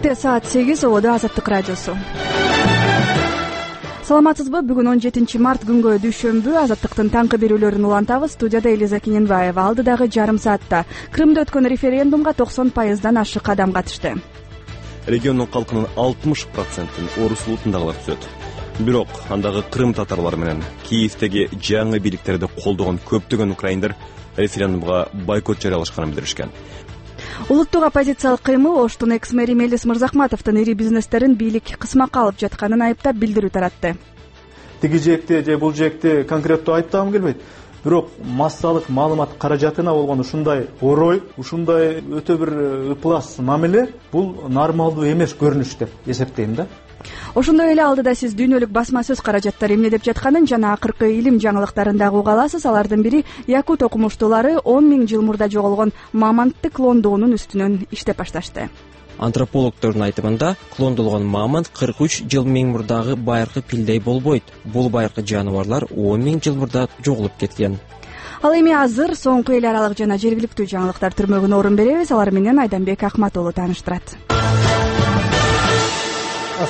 Эрте саат 8 Ободо Азаттык радиосу. Саламатсызбы? Бүгүн 17 март күнгө дүйшөмбү. Азаттыктын таңкы берүүлөрүн улантабыз. Студияда Элиза Кененбаева. Алдыдагы жарым саатта Крымда өткөн референдумга 90% ашык адам катышты. Региондун калкынын 60%-ын орус улутундагылар түзөт. Бирок андагы крым татарлары менен Киевдеги жаңы бийликтерди колдогон көптөгөн украиндар референдумга бойкот жарыялашканын билдиришкен. Улуттук оппозициялык кыймыл Оштун экс-мэри Мелис Мырзахматовдун ири бизнестерин бийлик кысмакка алып жатканын айыптап билдирүү таратты. Тиги жекти же бул жекти конкреттүү айыптагым келбейт. Бирок массалык маалымат каражатына болгон ушундай орой, ушундай өтө бир ыплас мамиле бул нормалдуу эмес көрүнүш деп эсептейм да. Ошондой эле алдыда сиз дүйнөлүк басма сөз каражаттар эмне деп жатканын жана акыркы илим жаңылыктарын дагы уга аласыз. Алардын бири якут окумуштуулары 10 000 жыл мурда жоголгон мамонтты клондоонун үстүнөн иштеп башташты. Антропологдордун айтымында клондолгон мамонт 43 жыл мурдагы байыркы пилдей болбойт. Бул байыркы жаныбарлар 10 000 жыл мурда жоголуп кеткен. Ал эми азыр соңку эл аралык жана жергиликтүү жаңылыктар түрмөгүнө орун беребиз. Алар менен Айданбек Акматуулу тааныштырат.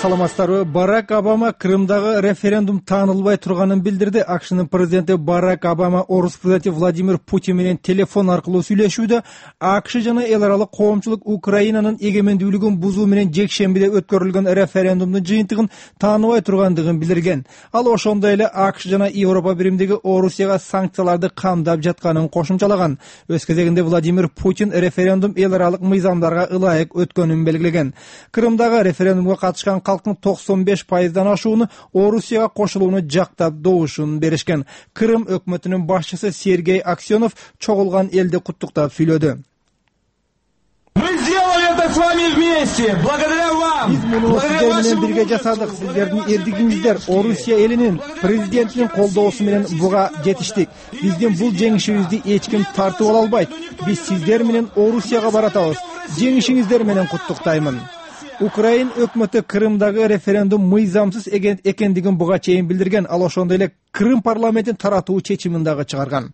Саламатсыздарбы? Барак Обама Крымдагы референдум таанылбай турганын билдирди. АКШнын президенти Барак Обама орус президенти Владимир Путин менен телефон аркылуу сүйлөшүүдө АКШ жана эл аралык коомчулук Украинанын эгемендүүлүгүн бузуу менен жекшембиде өткөрүлгөн референдумдун жыйынтыгын тааныбай тургандыгын билдирген. Ал ошондой эле АКШ жана Европа биримдиги Орусияга санкцияларды камдап жатканын кошумчалаган. Өз кезегинде Владимир Путин референдум эл аралык мыйзамдарга ылайык өткөнүн белгилеген. Крымдагы референдумга катышкан калктын 95%дан ашууну Орусияга кошулууну жактап добушун беришкен. Крым өкмөтүнүн башчысы Сергей Аксенов чогулган элди куттуктап сүйлөдү. Биз муну сиздер менен бирге жасадык. Сиздердин эрдигиңиздер Орусия элинин президентинин колдоосу менен буга жетиштик. Биздин бул жеңишибизди эч ким тартып ала албайт. Биз сиздер менен Орусияга баратабыз. Жеңишиңиздер менен куттуктаймын. Украин өкмөтү Крымдагы референдум мыйзамсыз экендигин буга чейин билдирген. Ал ошондой эле Крым парламентин таратуу чечимин дагы чыгарган.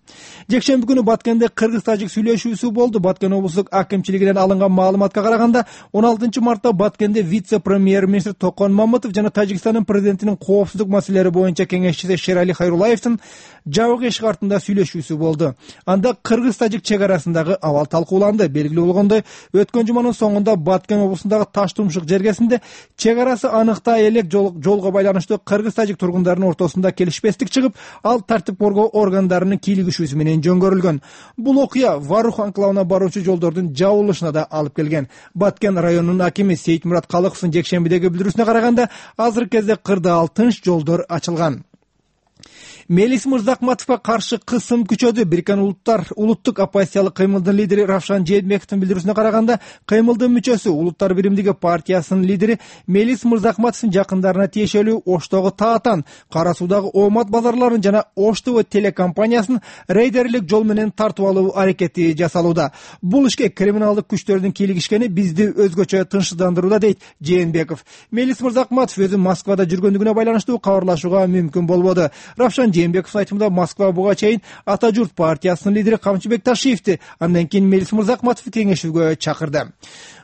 Жекшемби күнү Баткенде кыргыз-тажик сүйлөшүүсү болду. Баткен облустук акимчилигинен алынган маалыматка караганда 16 мартта Баткенде вице-премьер-министр Токон Мамытов жана Тажикстандын президентинин коопсуздук маселелери боюнча кеңешчиси Шерали Хайрулаевдин жабык эшик артында сүйлөшүүсү болду. Анда кыргыз-тажик чек арасындагы абал талкууланды. Белгилүү болгондой, өткөн жуманын соңунда Баткен облусундагы Таштумшук жергесинде чек арасы аныктай элек жолго байланыштуу кыргыз-тажик тургундарынын ортосунда келишпестик чыгып, ал тартип коргоо органдарынын кийлигишүүсү менен жөнгөрүлгөн. Бул окуя Варух анклавына баруучу жолдордун жабылышына да алып келген. Баткен районунун акими Сейитмурат Калыковдун жекшембидеги билдирүүсүнө караганда, азыркы кезде кырда ал тынч жолдор ачылган. Мелис Мырзахматовго каршы кысым күчөдү. Бириккен Улуттар улуттук оппозициялык кыймылдын лидери Равшан Жээнбековдун билдирүүсүнө караганда, кыймылдын мүчөсү Улуттар биримдиги партиясынын лидери Мелис Мырзахматовдун жакындарына тиешелүү Оштогу Таатан, Кара Суудагы Оомат базарларын жана Ош ТВ телекомпаниясын рейдерлик жол менен тартып алуу аракети жасалууда. Бул ишке криминалдык күчтөрдүн кийлигишкени бизди өзгөчө тынчсыздандырууда, дейт Жээнбеков. Мелис Мырзахматов өзү Москвада жүргөндүгүнө байланыштуу кабарлашууга мүмкүн болбоду. Равшан Жээнбековдун айтымында Москва буга чейин Ата журт партиясынын лидери Камчыбек Ташиевди, андан кийин Мелис Мырзахматовду кеңешүүгө чакырды.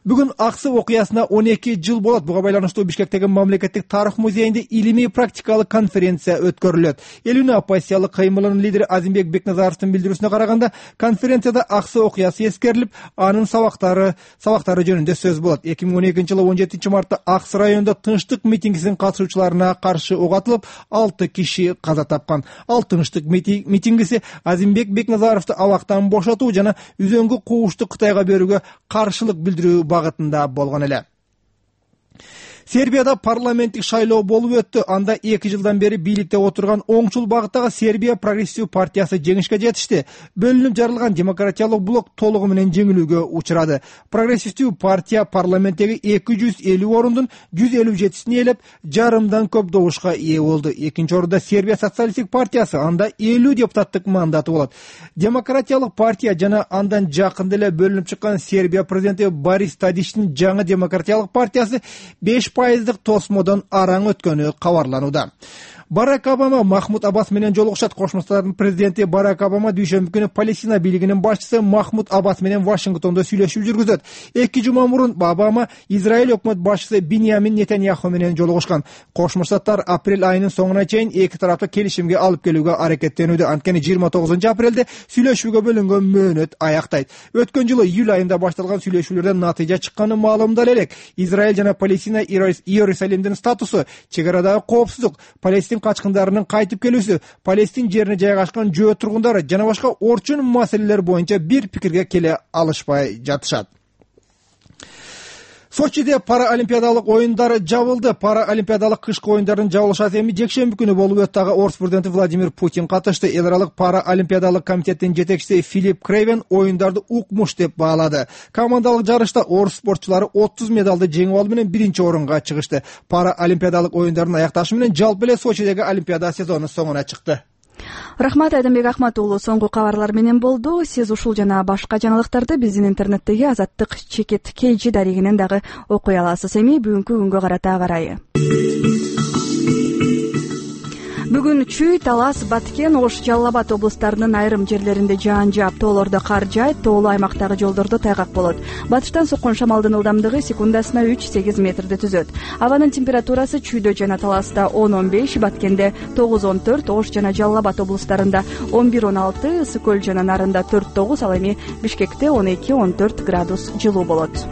Бүгүн Аксы окуясына 12 жыл болот. Буга байланыштуу Бишкектеги мамлекеттик тарых музейинде илимий практикалык конференция өткөрүлөт. Элүүнү оппозициялык кыймылынын лидери Азимбек Бекназаровдун билдирүүсүнө караганда, конференцияда Аксы окуясы эскерилип, анын сабактары жөнүндө сөз болот. 2012 жылы 17 мартта Аксы районунда тынчтык митингисинин катышуучуларына каршы ок атылып, 6 киши каза тапкан. Ал тынчтык митингиси Азимбек Бекназаровду абактан бошотуу жана үзөңгү куушту Кытайга берүүгө каршылык билдирүү багытында болгон эле. Сербияда парламенттик шайлоо болуп өттү. Анда 2 жылдан бери бийликте отурган оңчул багыттагы Сербия прогрессив партиясы жеңишке жетишти. Бөлүнүп жарылган демократиялык блок толугу менен жеңилүүгө учурады. Прогрессивдүү партия парламенттеги 250 орундун 157син ээлеп, жарымдан көп добушка ээ болду. Экинчи орунда Сербия социалисттик партиясы, анда 50 депутаттык мандаты болот. Демократиялык партия жана андан жакында эле бөлүнүп чыккан Сербия президенти Борис Тадичтин жаңы демократиялык партиясы 5% тосмодон араң өткөнү кабарланууда. Барак Обама Махмуд Аббас менен жолугушат. Кошмо Штаттардын президенти Барак Обама дүйшөмбү күнү Палестина бийлигинин башчысы Махмуд Аббас менен Вашингтондо сүйлөшүү жүргүзөт. 2 жума мурун Обама Израиль өкмөт башчысы Биньямин Нетаньяху менен жолугушкан. Кошмо Штаттар апрель айынын соңуна чейин эки тараптуу келишимге алып келүүгө аракеттенүүдө. Анткени 29-апрелде сүйлөшүүгө бөлүнгөн мөөнөт аяктайт. Өткөн жылы июль айында башталган сүйлөшүүлөрдөн натыйжа чыкканы маалымдалып элек. Израиль жана Палестина Иерусалимдин статусу, чек арадагы коопсуздук, Палестин качкындарынын кайтып келүүсү, Палестин жерине жайгашкан жөө тургундары жана башка орчун маселелер боюнча бир пикирге келе алышпай жатышат. Сочиде параолимпиадалык оюндар жабылды. Параолимпиадалык кышкы оюндардын жабылышат эми жекшемби күнү болуп өттү. Орус президенти Владимир Путин катышты. Эл аралык параолимпиадалык комитеттин жетекчиси Филипп Крейвен оюндарды укмуш деп баалады. Командалык жарышта орус спортчулары 30 медалды жеңип алуу менен биринчи орунга чыгышты. Параолимпиадалык оюндардын аякташы менен жалпы эле Сочидеги олимпиада сезону соңуна чыкты. Рахмат, Айдамбек Ахматуулу. Соңку кабарлар менен болду. Сиз ушул жана башка жаңылыктарды биздин интернеттеги Азаттык чекит KG дарегинен дагы окуй аласыз. Эми бүгүнкү күнгө карата карайы. Бүгүн Чүй, Талас, Баткен, Ош, Жалал Абад облустарынын айрым жерлеринде жаан жаап, тоолордо кар жаайт, тоолуу аймактагы жолдордо тайгак болот. Батыштан соккон шамалдын ылдамдыгы секундасына 3-8 метрди түзөт. Абанын температурасы Чүйдө жана Таласта 10-15, Баткенде 9-14, Ош жана Жалал Абад облустарында 11-16, Ысык көл жана Нарында 4-9, ал эми Бишкекте 12-14 градус жылуу болот.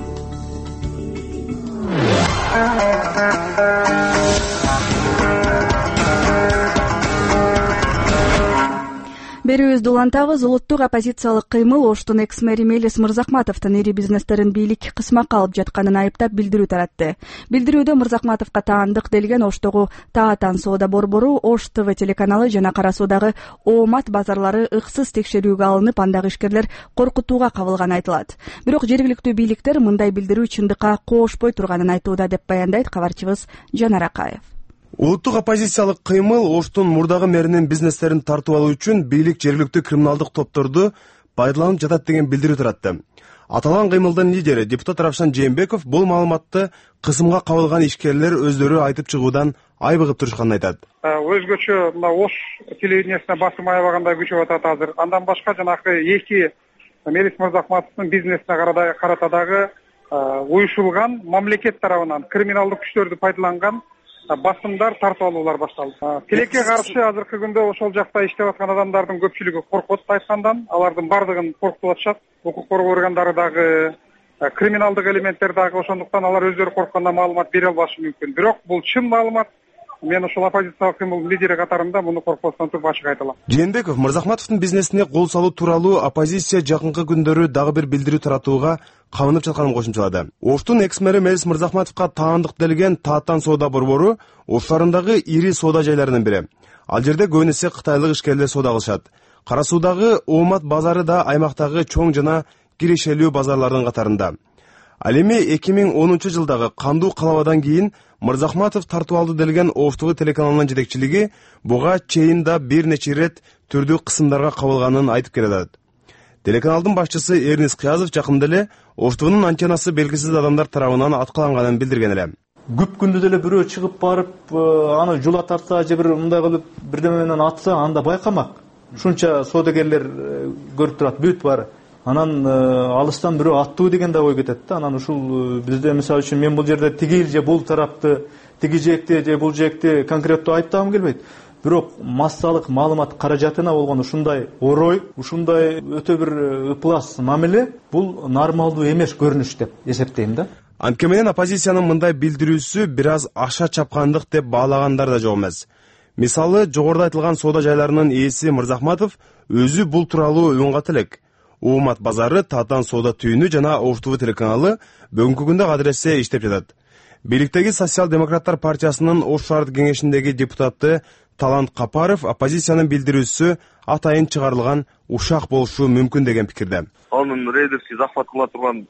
Берүүбүздү улантабыз. Улуттук оппозициялык кыймыл Оштун экс-мэри Мелис Мырзахматовдун ири бизнестерин бийлик кысмакка алып жатканын айыптап билдирүү таратты. Билдирүүдө Мырзахматовго таандык делген Оштогу Таатан соода борбору, Ош ТВ телеканалы жана Кара Суудагы Оомат базарлары ыксыз текшерүүгө алынып, андагы ишкерлер коркутууга кабылганы айтылат. Бирок жергиликтүү бийликтер мындай билдирүү чындыкка коошпой турганын айтууда деп баяндайт кабарчыбыз Жанар Акаев. Улуттук оппозициялык кыймыл Оштун мурдагы мэринин бизнестерин тартып алуу үчүн бийлик жергиликтүү криминалдык топторду пайдаланып жатат деген билдирүү таратты. Аталган кыймылдын лидери депутат Равшан Жээнбеков бул маалыматты кысымга кабылган ишкерлер өздөрү айтып чыгуудан айбыгып турушканын айтат. Өзгөчө мына Ош телевидениясына басым аябагандай күчөп атат азыр. Андан башка жанагы эки Мелис Мырзахматовдун бизнесине карата дагы уюшулган мамлекет тарабынан криминалдык күчтөрдү пайдаланган басымдар, тартып алуулар башталды. Тилекке каршы азыркы күндө ошол жакта иштеп аткан адамдардын көпчүлүгү коркот айткандан, алардын бардыгын коркутуп атышат. Укук коргоо органдары дагы, криминалдык элементтер дагы, ошондуктан алар өздөрү корккондон маалымат бере албашы мүмкүн. Бирок бул чын маалымат. Мен ошол оппозициялык кыймылдын лидери катарында муну коркпостон туруп ачык айта алам. Жээнбеков Мырзахматовдун бизнесине кол салуу тууралуу оппозиция жакынкы күндөрү дагы бир билдирүү таратууга кабынып жатканын кошумчалады. Оштун экс-мэри Мелис Мырзахматовго таандык делген Таатан соода борбору Ош шаарындагы ири соода жайларынын бири. Ал жерде көбүн эсе кытайлык ишкерлер соода кылышат. Кара Суудагы Оомат базары да аймактагы чоң жана кирешелүү базарлардын катарында. Ал эми 2010 жылдагы кандуу калабадан кийин Мырзахматов тартып алды делген Ош ТВ телеканалынын жетекчилиги буга чейин да бир нече ирет түрдүү кысымдарга кабылганын айтып келет. Телеканалдын башчысы Эрнис Кыязов жакында эле Ош ТВнын антеннасы белгисиз адамдар тарабынан аткаланганын билдирген эле. Күп күндүз эле бирөө чыгып барып, аны жула тартса же бир мындай кылып бирдеме менен атса, анда байкамак. Ушунча соодагерлер көрүп турат, бүт баары. Анан алыстан бирөө аттуу деген да ой кетет да. Анан ушул бизде мисалы үчүн мен бул жерде тигил же бул тарапты, тиги жекти же бул жекти конкреттүү айыптагым келбейт. Бирок массалык маалымат каражатына болгон ушундай орой, ушундай өтө бир ыплас мамиле бул нормалдуу эмес көрүнүш деп эсептейм да. Антке менен оппозициянын мындай билдирүүсү бир аз аша чапкандык деп баалагандар да жок эмес. Мисалы, жогоруда айтылган соода жайларынын ээси Мырзахматов өзү бул тууралуу үн ката элек. Оомат базары, Таатан соода түйүнү жана Ош ТВ телеканалы бүгүнкү күндө кадыресе иштеп жатат. Бийликтеги Социал-демократтар партиясынын Ош шаардык кеңешиндеги депутаты Талант Капаров оппозициянын билдирүүсү атайын чыгарылган ушак болушу мүмкүн деген пикирде. Анын рейдерский захват кыла турган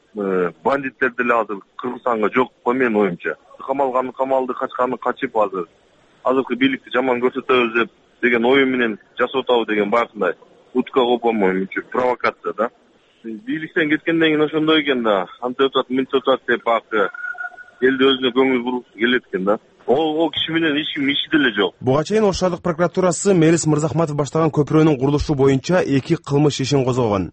бандиттер деле азыр Кыргызстанга жок го менин оюмча. Камалганы камалды, качканы качып азыркы бийликти жаман көрсөтөбүз деген ою менен жасап атабы деген баягындай утка копомой провокация да. Бийликтен кеткенден кийин ошондой экен да. Антип атат, мынтип атат деп элди өзүнө көңүл буруп келет экен да. Ол киши менен эч ким иши деле жок. Буга чейин Ош шаардык прокуратурасы Мелис Мырзахматов баштаган көпүрөнүн курулушу боюнча 2 кылмыш ишин козгогон.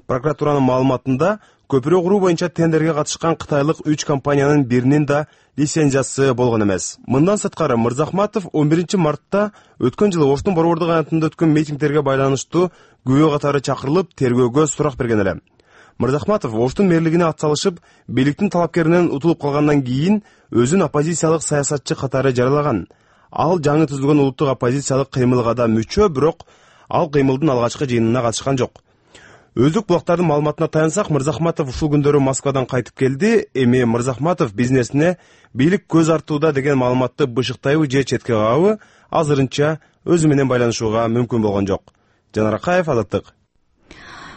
Прокуратуранын маалыматында көпүрө куруу боюнча тендерге катышкан кытайлык 3 компаниянын биринин да лицензиясы болгон эмес. Мындан сырткары Мырзахматов 11 мартта өткөн жылы Оштун борбордук аянтында өткөн митингдерге байланыштуу күбө катары чакырылып, тергөөгө сурак берген эле. Мырзахматов Оштун мэрлигине атсалышып, бийликтин талапкеринен утулуп калгандан кийин өзүн оппозициялык саясатчы катары жарыялаган. Ал жаңы түзүлгөн улуттук оппозициялык кыймылга да мүчө, бирок ал кыймылдын алгачкы жыйынына катышкан жок. Өздүк булактардын маалыматына таянсак, Мырзахматов ушул күндөрү Москвадан кайтып келди. Эми Мырзахматов бизнесине бийлик көз артууда деген маалыматты бышыктайбы же четке кагабы азырынча өзү менен байланышууга мүмкүн болгон жок. Жанар Акаев, Азаттык.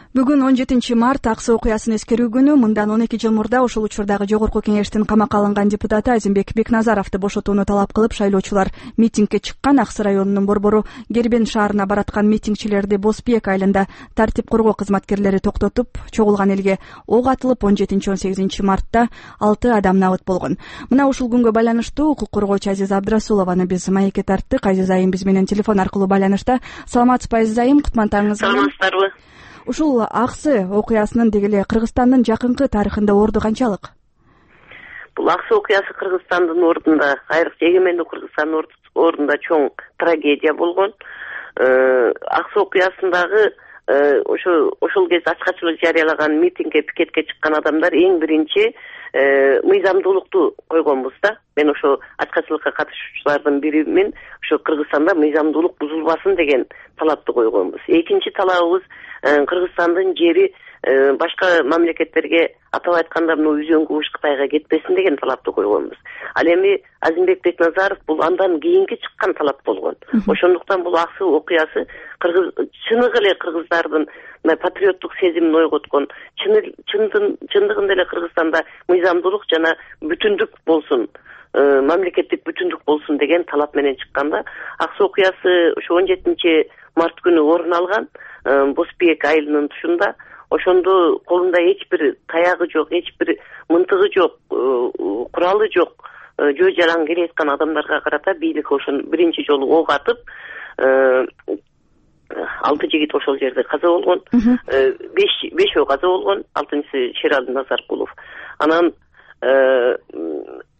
Бүгүн 17 март Ак Суу окуясын эскерүү күнү. Мындан 12 жыл мурда ошол учурдагы жогорку кеңештин камакка алынган депутаты Азимбек Бекназаровду бошотууну талап кылып шайлоочулар митингге чыккан. Аксы районунун борбору Гербен шаарына бараткан митингчилерди Босбек айылында тартип коргоо кызматкерлери токтотуп, чогулган элге ок атылып 17-18 мартта 6 адам набыт болгон. Мына ушул күнгө байланыштуу укук коргоочу Азиза Абдрасулованы биз маекке тарттык. Азиза айым биз менен телефон аркылуу байланышта. Саламатсызбы Азиза айым? Кутмантаңыз. Саламатсыздарбы? Ушул Аксы окуясынын деги эле Кыргызстандын жакынкы тарыхында орду канчалык? Бул Аксы окуясы Кыргызстандын ордунда, айрыкча эгемендүү Кыргызстандын ордунда чоң трагедия болгон. Аксы окуясындагы ошол кезде ачкачылык жарыялаган митингге, пикетке чыккан адамдар эң биринчи мыйзамдуулукту койгонбуз да. Мен ошо ачкачылыкка катышуучулардын биримин, ошо Кыргызстанда мыйзамдуулук бузулбасын деген талапты койгонбуз. Экинчи талабыбыз Кыргызстандын жери башка мамлекеттерге, атап айтканда Үзөң Кубуш Кытайга кетпесин деген талапты койгонбуз. Ал эми Азимбек Бекназаров бул андан кийинки чыккан талап болгон. Ошондуктан бул Аксы окуясы чыныгы эле кыргыздардын патриоттук сезимин ойготкон, чындыгында эле Кыргызстанда мыйзамдуулук жана бүтүндүк болсун, мамлекеттик бүтүндүк болсун деген талап менен чыкканда, Аксы окуясы ошо 17 март күнү орун алган. Босбек айылынын тушунда. Ошондо колунда эч бир таягы жок, эч бир мынтыгы жок, куралы жок, жөө жалаң келе аткан адамдарга карата бийлик ошон биринчи жолу ок атып, 6 жигит ошол жерде каза болгон, 5 каза болгон, 6-сы Шерали Назаркулов. Анан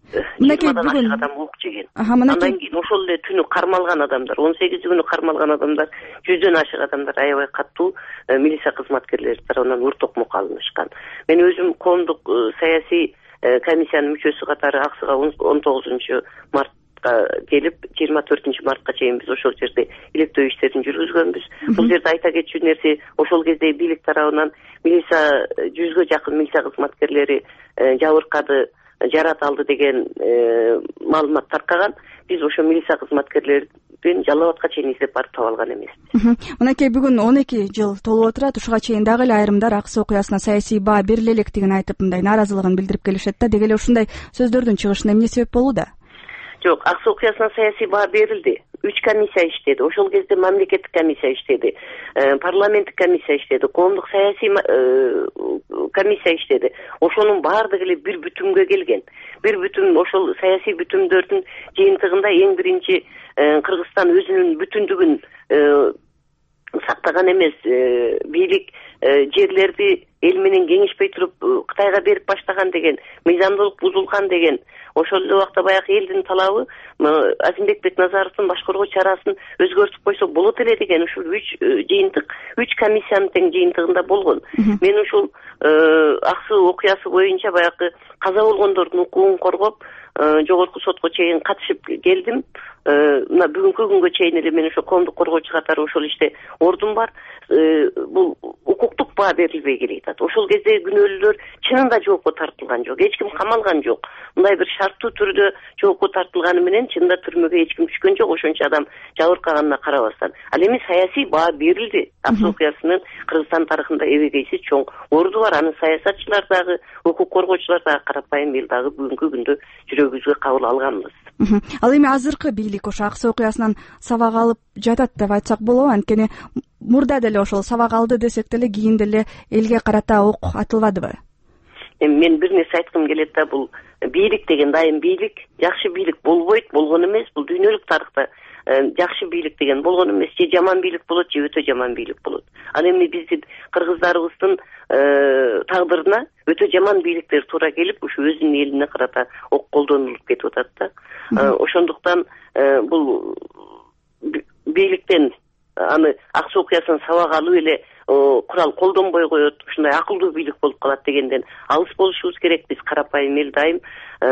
бүгүн адам ок жеген. Андан кийин ошол эле түнү кармалган адамдар, 18 күнү кармалган адамдар, 100дөн ашык адамдар аябай катуу милиция кызматкерлери тарабынан өртөкмокко алынышкан. Мен өзүм коомдук саясий комиссиянын мүчөсү катары Аксыга 19 мартка келип, 24 мартка чейин биз ошол жерде илектөө иштерин жүргүзгөнбүз. Бул жерде айта кетчү нерсе, ошол кезде бийлик тарабынан милиция 100гө жакын милиция кызматкерлери жабыркады, жарат алды деген маалымат таркаган. Биз ошо милиция кызматкерлерин Жалал абадка чейин издеп барып таба алган эмеспиз. Мынакей бүгүн 12 жыл толуп отурат. Ушуга чейин дагы эле айрымдар Аксы окуясына саясий баа бериле электигин айтып, мындай нааразылыгын билдирип келишет да. Деги эле ушундай сөздөрдүн чыгышына эмне себеп болууда? Жок, Аксы окуясына саясий баа берилди. 3 комиссия иштеди. Ошол кезде мамлекеттик комиссия иштеди, парламенттик комиссия иштеди, коомдук саясий комиссия иштеди. Ошонун баардыгы эле бир бүтүмгө келген. Бир бүтүм, ошол саясий бүтүмдөрдүн жыйынтыгында эң биринчи Кыргызстан өзүнүн бүтүндүгүн сактаган эмес, бийлик жерлерди эл менен кеңешпей туруп Кытайга берип баштаган деген, мыйзамдуулук бузулган деген. Ошол эле убакта баягы элдин талабы Азимбек Бекназаровдун башкаруу чарасын өзгөртүп койсо болот эле деген ушул 3 жыйынтык, 3 комиссиянын тең жыйынтыгында болгон. Мен ушул Аксы окуясы боюнча баягы каза болгондордун укугун коргоп, жогорку сотко чейин катышып келдим. Мына бүгүнкү күнгө чейин эле мен ошо коомдук коргоочу катары ошол иште ордум бар. Бул укуктук баа берилбей келатат. Ошол кезде күнөөлүүлөр чынында жоопко тартылган жок, эч ким камалган жок. Мындай бир шарттуу түрдө жоопко тартылганы менен чынында түрмөгө эч ким түшкөн жок, ошончо адам жабыркаганына карабастан. Ал эми саясий баа берилди. Аксы окуясынын Кыргызстан тарыхында эбегейсиз чоң орду бар. Аны саясатчылар дагы, укук коргоочулар дагы карапайым эл дагы бүгүнкү күндө жүрөгүбүзгө кабыл алганбыз. Ал эми азыркы бийлик ошо Аксы окуясынан сабак алып жатат деп айтсак болобу? Анткени мурда деле ошол сабак алды десек деле кийин деле элге карата ок атылбадыбы? Эми мен бир нерсе айткым келет да, бул бийлик деген дайым бийлик, жакшы бийлик болбойт, болгон эмес. Бул дүйнөлүк тарыхта жакшы бийлик деген болгон эмес, же жаман бийлик болот, же өтө жаман бийлик болот. Ал эми биздин кыргыздарыбыздын тагдырына өтө жаман бийликтер туура келип, ушу өзүнүн элине карата ок колдонулуп кетип атат да. Ошондуктан бул бийликтен аны ак суу окуясын сабак алып эле курал колдонбой коет, ушундай акылдуу бийлик болуп калат дегенден алыс болушубуз керек. Биз карапайым эл дайым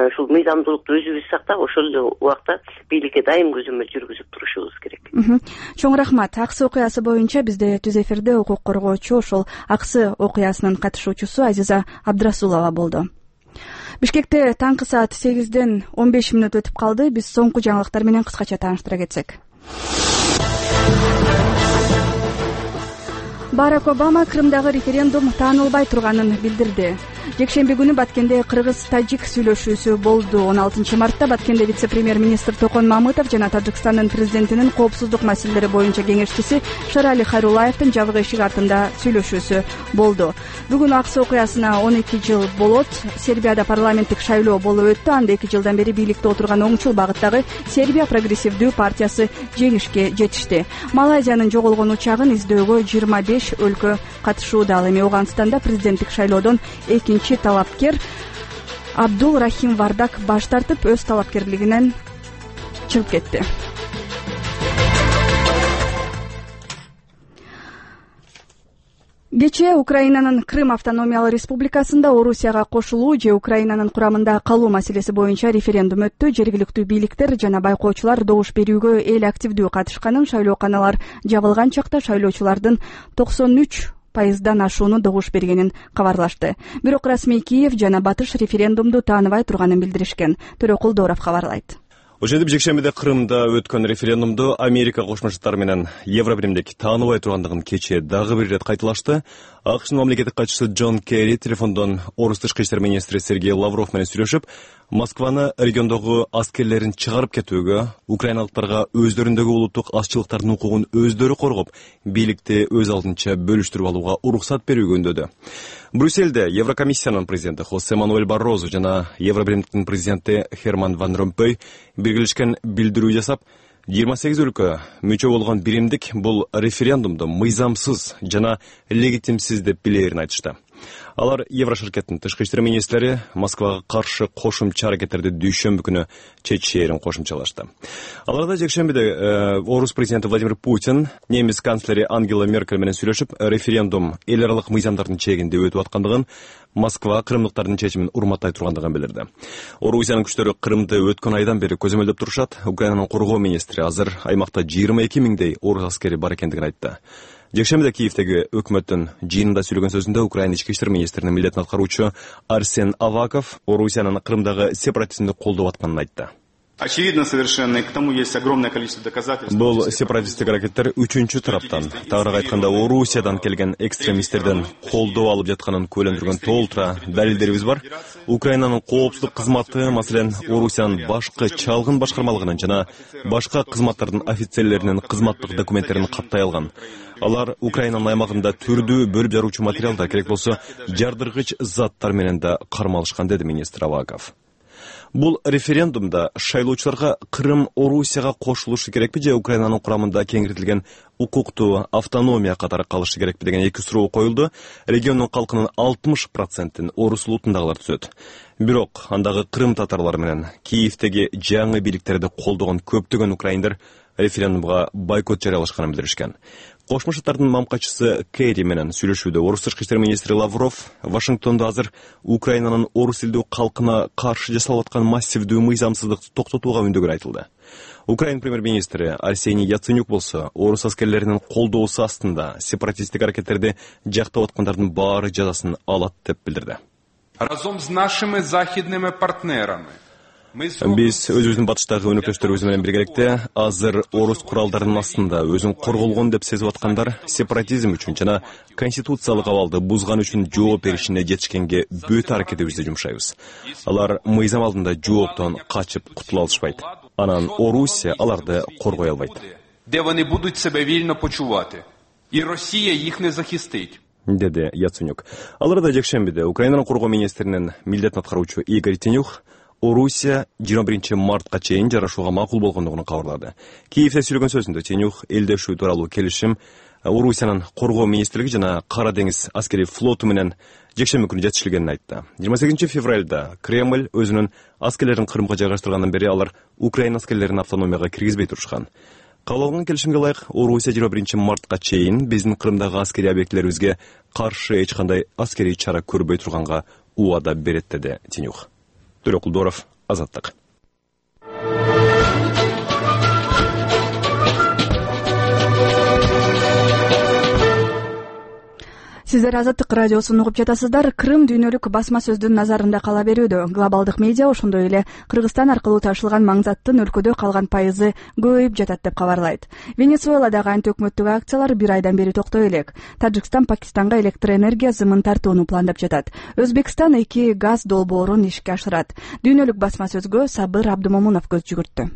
ушул мыйзамдуулукту өзүбүз сактап, ошол эле убакта бийликке дайым көзөмөл жүргүзүп турушубуз керек. Чоң рахмат. Аксы окуясы боюнча бизде түз эфирде укук коргоочу, ошол Аксы окуясынын катышуучусу Азиза Абдрасулова болду. Бишкекте таңкы саат 8-ден 15 мүнөт өтүп калды. Биз соңку жаңылыктар менен кыскача тааныштыра кетсек. Барак Обама Крымдагы референдум таанылбай турганын билдирди. Жекшемби күнү Баткенде кыргыз-тажик сүйлөшүүсү болду. 16 мартта Баткенде вице-премьер-министр Токон Мамытов жана Тажикстандын президентинин коопсуздук маселелери боюнча кеңешчиси Шарали Хайруллаевдин жабык эшик артында сүйлөшүүсү болду. Бүгүн Аксы окуясына 12 жыл болот. Сербияда парламенттик шайлоо болуп өттү. Анда 2 жылдан бери бийликте отурган оңчул багыттагы Сербия прогрессивдүү партиясы жеңишке жетишти. Малайзиянын жоголгон учагын издөөгө 25 өлкө катышууда. Ал эми Ауганстанда президенттик шайлоодон экинчи талапкер Абдул Рахим Вардак баш тартып, өз талапкерлигинен чыгып кетти. Кечээ Украинанын Крым автономиялык республикасында Орусияга кошулуу же Украинанын курамында калуу маселеси боюнча референдум өттү. Жергиликтүү бийликтер жана байкоочулар добуш берүүгө эл активдүү катышканын, шайлооканалар жабылган чакта шайлоочулардын 93% ашууну добуш бергенин кабарлашты. Бирок расмий Киев жана Батыш референдумду тааныбай турганын билдиришкен. Төрөкул Дооров кабарлайт. Ошентип жекшембиде Крымда өткөн референдумду Америка Кошмо Штаттары менен Евробиримдик тааныбай тургандыгын кечээ дагы бир ирет кайталашты. АКШнын мамлекеттик катчысы Джон Керри телефондон орус тышкы иштер министри Сергей Лавров менен сүйлөшүп, Москваны региондогу аскерлерин чыгарып кетүүгө, украиналыктарга өздөрүндөгү улуттук азчылыктардын укугун өздөрү коргоп, бийликти өз алдынча бөлүштүрүп алууга уруксат берүүгө үндөдү. Брюссельде Еврокомиссиянын президенти Хосе Мануэль Баррозу жана Евробиримдиктин президенти Херман Ван Ромпой биргелешкен билдирүү жасап, 28 өлкө мүчө болгон биримдик бул референдумду мыйзамсыз жана легитимсиз деп билээрин айтышты. Алар Евроширкеттин тышкы иштер министрлери Москвага каршы кошумча аракеттерди дүйшөмбү күнү чечээрин кошумчалашты. Аларда жекшембиде орус президенти Владимир Путин немис канцлери Ангела Меркель менен сүйлөшүп, референдум эл аралык мыйзамдардын чегинде өтүп аткандыгын, Москва крымдыктардын чечимин урматтай тургандыгын билдирди. Орусиянын күчтөрү Крымды өткөн айдан бери көзөмөлдөп турушат. Украинанын коргоо министри азыр аймакта 22 миңдей орус аскери бар экендигин айтты. Жекшембиде Киевдеги өкмөттүн жыйынында сүйлөгөн сөзүндө Украина ички иштер министринин милдетин аткаруучу Арсен Аваков Орусиянын Крымдагы сепаратизмди колдоп атканын айтты. Очевидно совершенно, и к тому есть огромное количество доказательств. Бул сепаратисттик аракеттер үчүнчү тараптан, тагыраак айтканда Орусиядан келген экстремисттерден колдоо алып жатканын күбөлөндүргөн толтура далилдерибиз бар. Украинанын коопсуздук кызматы, маселен, Орусиянын башкы чалгын башкармалыгынын жана башка кызматтардын офицерлеринин кызматтык документтерин каттай алган. Алар Украинанын аймагында түрдүү бөлүп жаруучу материалдар, керек болсо жардыргыч заттар менен да кармалышкан, деди министр Аваков. Бул референдумда шайлоочуларга Крым Орусияга кошулушу керекпи же Украинанын курамында кеңиртилген укуктуу автономия катары калышы керекпи деген эки суроо коюлду. Региондун калкынын 60%-ин орус улутундагылар түзөт. Бирок андагы Крым татарлары менен Киевдеги жаңы бийликтерди колдогон көптөгөн украиндер референдумга бойкот жарыялашканын билдиришкен. Кошмо Шаттардын мамкачысы Керри менен сүйлөшүүдө орус тышкы иштер министри Лавров Вашингтондо азыр Украинанын орус элдүү калкына каршы жасалып аткан массивдүү мыйзамсыздыкты токтотууга үндөгөн айтылды. Украин премьер-министри Арсений Яценюк болсо орус аскерлеринин колдоосу астында сепаратисттик аракеттерди жактап аткандардын баары жазасын алат деп билдирди. Разом с нашими захидными партнерами Биз өзүбүздүн батыштагы өнөктөштөрүбүз менен биргеликте азыр орус куралдарынын астында өзүн корголгон деп сезип аткандар сепаратизм үчүн жана конституциялык абалды бузган үчүн жооп беришине жетишкенге бүт аракетибизди жумшайбыз. Алар мыйзам алдында жооптон качып кутула алышпайт. Анан Орусия аларды коргой албайт. Де вони будуть себе вільно почувати. І Росія їх не захистить. деди Яценюк. Ал арада жекшембиде Украинанын коргоо министринин милдетин аткаруучу Игорь Тенюх Орусия 21 мартка чейин жарашууга макул болгондугун кабарлады. Киевде сүйлөгөн сөзүндө Тенюх элдешүү тууралуу келишим Орусиянын коргоо министрлиги жана Кара деңиз аскери флоту менен жекшемби күнү жетишилгенин айтты. 28 февралда Кремль өзүнүн аскерлерин Крымга жайгаштыргандан бери алар Украина аскерлерин автономияга киргизбей турушкан. Кабыл алынган келишимге ылайык Орусия 21 мартка чейин биздин Крымдагы аскерий объектилерибизге каршы эч кандай аскерий чара көрбөй турганга убада берет, деди Тенюх. Төлөк Кулдоров, Азаттык. Сиздер Азаттык радиосун угуп жатасыздар. Крым дүйнөлүк басма сөздүн назарында кала берүүдө. Глобалдык медиа ошондой эле Кыргызстан аркылуу ташылган маңзаттын өлкөдө калган пайызы көбөйүп жатат деп кабарлайт. Венесуэладагы антиөкмөттүк акциялар бир айдан бери токтой элек. Тажикстан Пакистанга электр энергия зымын тартууну пландап жатат. Өзбекстан 2 газ долбоорун ишке ашырат. Дүйнөлүк басма сөзгө Сабыр Абдымомунов көз жүгүрттү.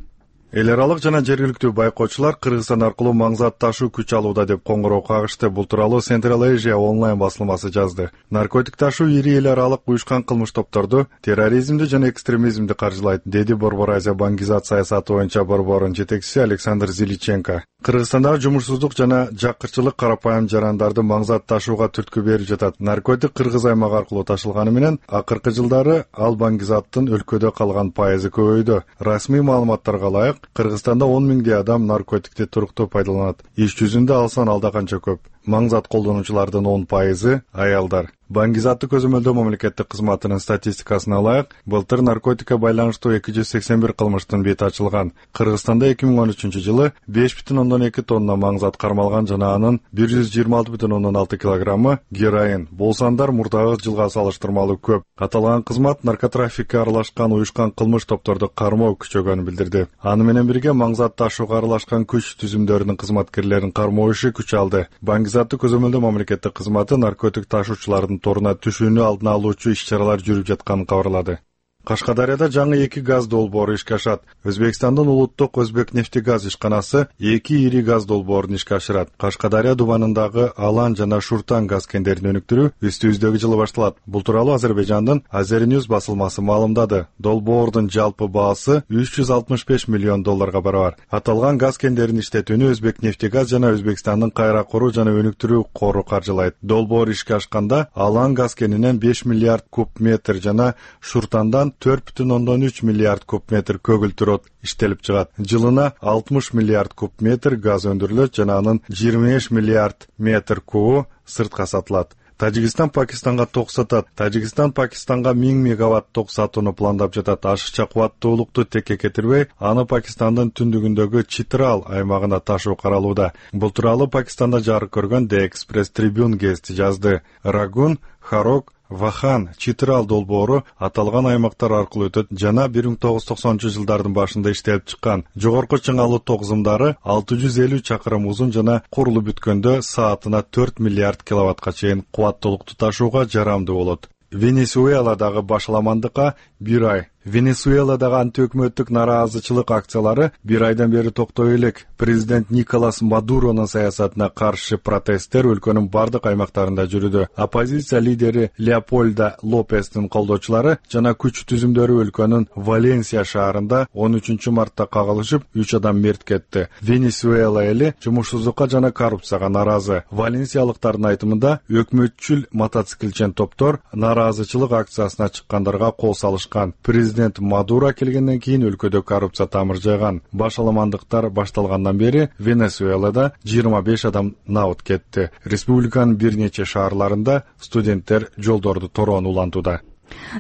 Эл аралык жана жергиликтүү байкоочулар Кыргызстан аркылуу маңзат ташуу күч алууда деп коңгуроо кагышты. Бул тууралуу Central Asia онлайн басылмасы жазды. Наркотик ташуу ири эл аралык уюшкан кылмыш топторду, терроризмди жана экстремизмди каржылайт, деди Борбор Азия Бангизат саясаты боюнча борбордун жетекчиси Александр Зиличенко. Кыргызстандагы жумушсуздук жана жаккырчылык карапайым жарандарды маңзат ташууга түрткү берип жатат. Наркотик Кыргыз аймагы аркылуу ташылганы менен акыркы жылдары ал Бангизаттын өлкөдө калган пайызы көбөйдү. Расмий маалыматтарга ылайык, Кыргызстанда 10 миңдей адам наркотикти туруктуу пайдаланат. Иш жүзүндө алсан алда канча көп. Маңзат колдонуучулардын 10% аялдар. Бангизатты көзөмөлдөө мамлекеттик кызматынын статистикасына ылайык, былтыр наркотикке байланыштуу 281 кылмыштын бети ачылган. Кыргызстанда 2013-жылы 5,2 тонна маңзат кармалган жана анын 126,6 килограммы героин. Бул сандар мурдагы жылга салыштырмалуу көп. Аталган кызмат наркотрафикке аралашкан уюшкан кылмыш топторду кармоо күчөгөнүн билдирди. Аны менен бирге маңзат ташууга аралашкан күч түзүмдөрүнүн кызматкерлерин кармоо иши күч алды. Бангизатты көзөмөлдөө мамлекеттик кызматы наркотик ташуучулардын торуна түшүүнү алдын алуучу иш-чаралар жүрүп жатканын кабарлады. Кашкадарияда жаңы 2 газ долбоору ишке ашат. Өзбекстандын улуттук Өзбек нефтегаз ишканасы 2 ири газ долбоорун ишке ашырат. Кашкадария дубанындагы Алан жана Шуртан газ кендерин өнүктүрүү үстүбүздөгү жылы башталат. Бул тууралуу Азербайжандын Азерnews басылмасы маалымдады. Долбоордун жалпы баасы $365 миллион барабар. Аталган газ кендерин иштетүүнү Өзбек нефтегаз жана Өзбекстандын кайра куруу жана өнүктүрүү кору каржылайт. Долбоор ишке ашканда Алан газ кенинен 5 миллиард куб метр жана Шуртандан 4,3 миллиард куб метр көгүлтүрөт иштелип чыгат. Жылына 60 миллиард куб метр газ өндүрүлөт жана анын 25 миллиард метр кубу сыртка сатылат. Тажикстан Пакистанга ток сатат. Тажикстан Пакистанга 1000 мегаватт ток сатууну пландап жатат. Ашыкча кубаттуулукту текке кетирбей, аны Пакистандын түндүгүндөгү Читрал аймагына ташуу каралууда. Бул тууралуу Пакистанда жарык көргөн The Express Tribune гезити жазды. Рагун, Харок, Вахан, Читрал долбоору аталган аймактар аркылуу өтөт жана 1990-жылдардын башында иштелип чыккан. Жогорку чыңалуу ток зымдары 650 чакырым узун жана курулуп бүткөндө саатына 4 миллиард киловаттка чейин кубаттуулукту ташууга жарамдуу болот. Венесуэладагы башаламандыкка 1 ай. Венесуэладагы антиөкмөттүк нараазычылык акциялары бир айдан бери токтой элек. Президент Николас Мадуронун саясатына каршы протесттер өлкөнүн бардык аймактарында жүрүүдө. Оппозиция лидери Леопольда Лопестин колдоочулары жана күч түзүмдөрү өлкөнүн Валенсия шаарында 13 мартта кагылышып, 3 адам мерт кетти. Венесуэла эли жумушсуздукка жана коррупцияга наразы. Валенсиялыктардын айтымында өкмөтчүл мотоциклчен топтор нараазычылык акциясына чыккандарга кол салышкан. Президент Мадуро келгенден кийин өлкөдө коррупция тамыр жайган. Башаламандыктар башталгандан бери Венесуэлада 25 адам наут кетти. Республиканын бир нече шаарларында студенттер жолдорду тороон улантууда.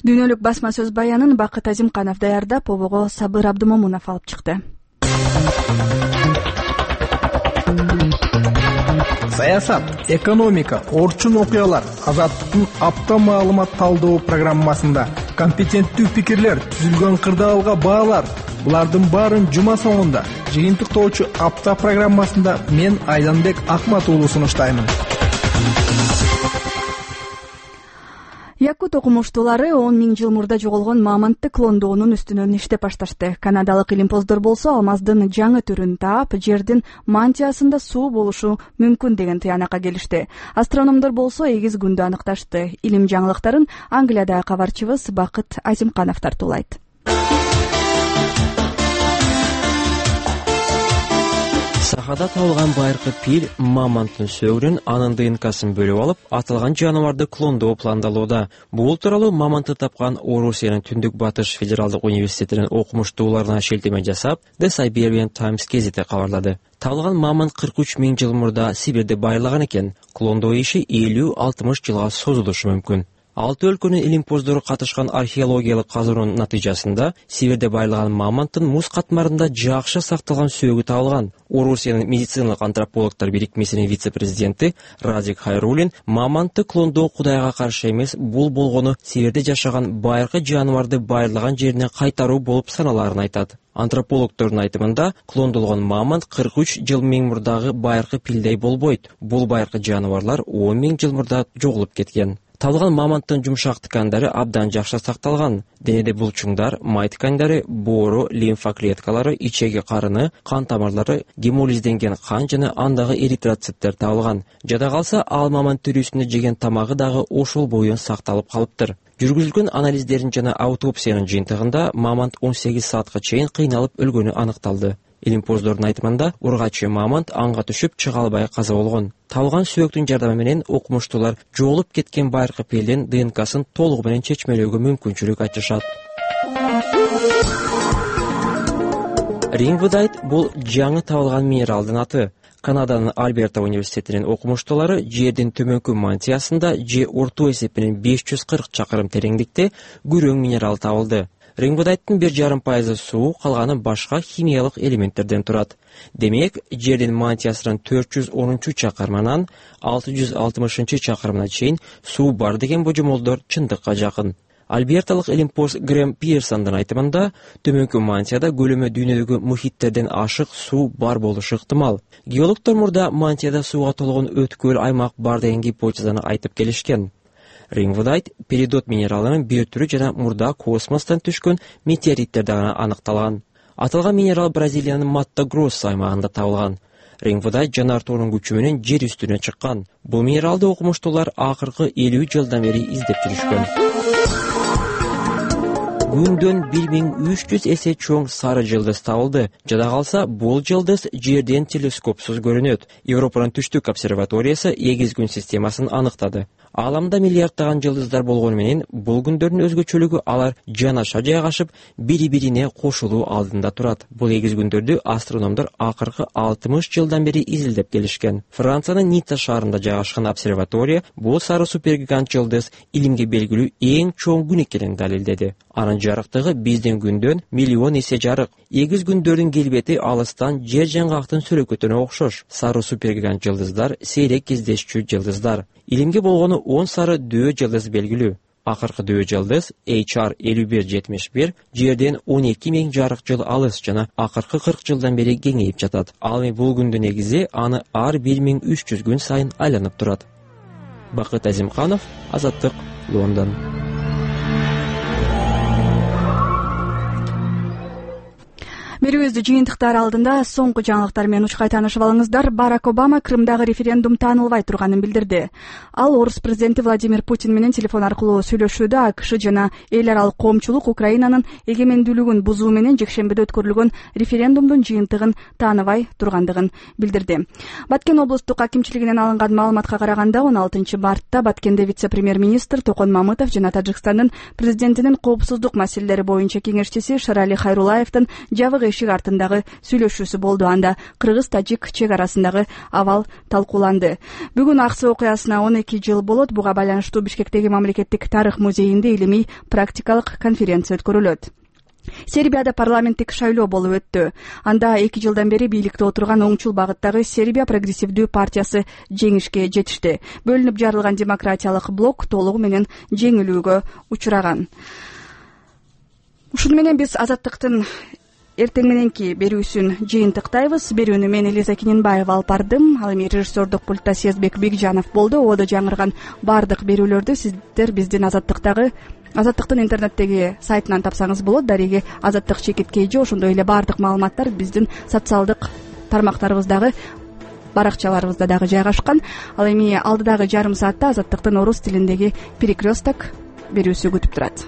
Дүйнөлүк басма сөз баянын Бакыт Азимканов даярдап, обого Сабыр Абдымомунов алып чыкты. Саясат, экономика, орчун окуялар Азаттыктын апта маалымат талдоо программасында компетенттүү пикирлер, түзүлгөн кырдаалга баалар. Булардын баарын жума соңунда жыйынтыктоочу апта программасында мен Айданбек Акмат уулу сунуштаймын. Якут окумуштуулары 10 000 жыл мурда жоголгон мамонтты клондоонун үстүнөн иштеп башташты. Канадалык илимпоздор болсо алмаздын жаңы түрүн таап, жердин мантиясында суу болушу мүмкүн деген тыянакка келишти. Астрономдор болсо эгиз күндү аныкташты. Илим жаңылыктарын Англиядагы кабарчыбыз Бакыт Азимканов тартуулайт. Сахада табылган байыркы пил мамонттун сөөгүнөн анын ДНКсын бөлүп алып, аталган жаныбарды клондоо пландалууда. Бул тууралуу мамонтты тапкан Орусиянын Түндүк Батыш федералдык университетинин окумуштууларына шилтеме жасап, The Siberian Times гезити кабарлады. Табылган мамонт 43 000 жыл мурда Сибирде байырлаган экен. Клондоо иши 50-60 жылга созулушу мүмкүн. 6 өлкөнүн илимпоздору катышкан археологиялык казуунун натыйжасында Сибирде байырлаган мамонттун муз катмарында жакшы сакталган сөөгү табылган. Орусиянын медициналык антропологдор бирикмесинин вице-президенти Радик Хайрулин мамонтты клондоо Кудайга каршы эмес, бул болгону Сибирде жашаган байыркы жаныбарды байырлаган жерине кайтаруу болуп саналаарын айтат. Антропологдордун айтымында, клондолгон мамонт 43 жыл мурдагы байыркы пилдей болбойт. Бул байыркы жаныбарлар 10 000 жыл мурда жоголуп кеткен. Табылган мамонттун жумшак ткандары абдан жакшы сакталган. Денеде булчуңдар, май ткандары, боору, лимфа клеткалары, ичеги карыны, кан тамырлары, гемолизденген кан жана андагы эритроциттер табылган. Жада калса, ал мамонт түрүсүндө жеген тамагы дагы ошол боюн сакталып калыптыр. Жүргүзүлгөн анализдердин жана аутопсиянын жыйынтыгында мамонт 18 саатка чейин кыйналып өлгөнү аныкталды. Илимпоздордун айтымында, ургачы мамонт анга түшүп чыга албай каза болгон. Табылган сөөктүн жардамы менен окумуштуулар жоголуп кеткен байыркы пилдин ДНКсын толугу менен чечмелөөгө мүмкүнчүлүк ачышат. Рингвудайт бул жаңы табылган минералдын аты. Канаданын Альберта университетинин окумуштуулары жердин төмөнкү мантиясында же орто эсепинен 540 чакырым тереңдикте күрөң минерал табылды. Рингвудайттын 1,5% суу, калганы башка химиялык элементтерден турат. Демек, жердин мантиясынын 410 чакырымынан 660 чакырымына чейин суу бар деген божомолдор чындыкка жакын. Альберталык илимпоз Грэм Пирсондун айтымында, төмөнкү мантияда көлөмү дүйнөдөгү мухиттерден ашык суу бар болушу ыктымал. Геологдор мурда мантияда сууга толгон өткөл аймак бар деген гипотезаны айтып келишкен. Рингвудайт перидот минералынын бир түрү жана мурда космостон түшкөн метеориттерде гана аныкталган. Аталган минерал Бразилиянын Матто-Гроссо аймагында табылган. Рингвудайт жанартоонун күчү менен жер үстүнө чыккан. Бул минералды окумуштуулар акыркы 50 жылдан бери издеп жүрүшкөн. Күндөн 1300 эсе чоң сары жылдыз табылды. Жада калса, бул жылдыз жерден телескопсуз көрүнөт. Европанын түштүк обсерваториясы эгиз күн системасын аныктады. Ааламда миллиарддаган жылдыздар болгону менен, бул күндөрдүн өзгөчөлүгү алар жанаша жайгашып, бири-бирине кошулуу алдында турат. Бул эгиз күндөрдү астрономдор акыркы 60 жылдан бери изилдеп келишкен. Франциянын Ницца шаарында жайгашкан обсерватория бул сары супергигант жылдыз илимге белгилүү эң чоң күн экенин далилдеди. Анын жарыктыгы биздин күндөн миллион эсе жарык. Эгиз күндөрдүн келбети алыстан жер жаңгактын сүрөкөтүнө окшош. Сары супергигант жылдыздар сейрек кездешчү жылдыздар. Илимге болгону 10 сары дөө жылдыз белгилүү. Акыркы дөө жылдыз HR 5171 жерден 12 000 жарык жыл алыс жана акыркы 40 жылдан бери кеңейип жатат. Ал эми бул күндүн негизи аны ар 1300 күн сайын айланып турат. Бакыт Азимканов, Азаттык, Лондон. Берүүбүздү жыйынтыктар алдында соңку жаңылыктар менен учкай таанышып алыңыздар. Барак Обама Крымдагы референдум таанылбай турганын билдирди. Ал орус президенти Владимир Путин менен телефон аркылуу сүйлөшүүдө АКШ жана эл аралык коомчулук Украинанын эгемендүүлүгүн бузуу менен жекшембиде өткөрүлгөн референдумдун жыйынтыгын тааныбай тургандыгын билдирди. Баткен облустук акимчилигинен алынган маалыматка караганда 16 мартта Баткенде вице-премьер-министр Токон Мамытов жана Тажикстандын президентинин коопсуздук маселелери боюнча кеңешчиси Шарали Хайрулаевдин жабык эшик артындагы сүйлөшүүсү болду. Анда кыргыз-тажик чек арасындагы абал талкууланды. Бүгүн Аксы окуясына 12 жыл болот. Буга байланыштуу Бишкектеги мамлекеттик тарых музейинде илимий практикалык конференция өткөрүлөт. Сербияда парламенттик шайлоо болуп өттү. Анда 2 жылдан бери бийликте отурган оңчул багыттагы Сербия прогрессивдүү партиясы жеңишке жетишти. Бөлүнүп жарылган демократиялык блок толугу менен жеңилүүгө учураган. Ушуну менен биз Азаттыктын эртең мененки берүүсүн жыйынтыктайбыз. Берүүнү мен Элиза Кененбаева алып бардым. Ал эми режиссердук пультта Сезбек Бекжанов болду. Ободо жаңырган баардык берүүлөрдү сиздер биздин Азаттыктын интернеттеги сайтынан тапсаңыз болот. Дареги Азаттык /KG ошондой эле баардык маалыматтар биздин социалдык тармактарыбыздагы баракчаларыбызда дагы жайгашкан. Ал эми алдыдагы жарым саатта Азаттыктын орус тилиндеги перекресток берүүсү күтүп турат.